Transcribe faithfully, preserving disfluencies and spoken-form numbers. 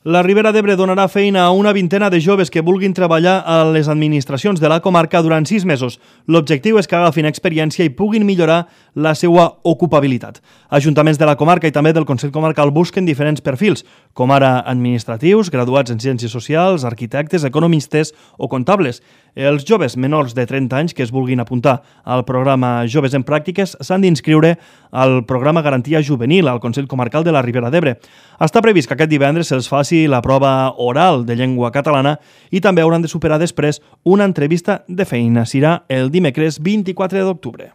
La Ribera d'Ebre donarà feina a una vintena de joves que vulguin treballar a les administracions de la comarca durant sis mesos. L'objectiu és que agafin experiència i puguin millorar la seva ocupabilitat. Ajuntaments de la comarca i també del Consell Comarcal busquen diferents perfils, com ara administratius, graduats en ciències socials, arquitectes, economistes o comptables. Els joves menors de trenta anys que es vulguin apuntar al programa Joves en Pràctiques s'han d'inscriure al programa Garantia Juvenil al Consell Comarcal de la Ribera d'Ebre. Està previst que aquest divendres se'ls faci la prova oral de llengua catalana i també hauran de superar després una entrevista de feina. Serà el dimecres vint-i-quatre d'octubre.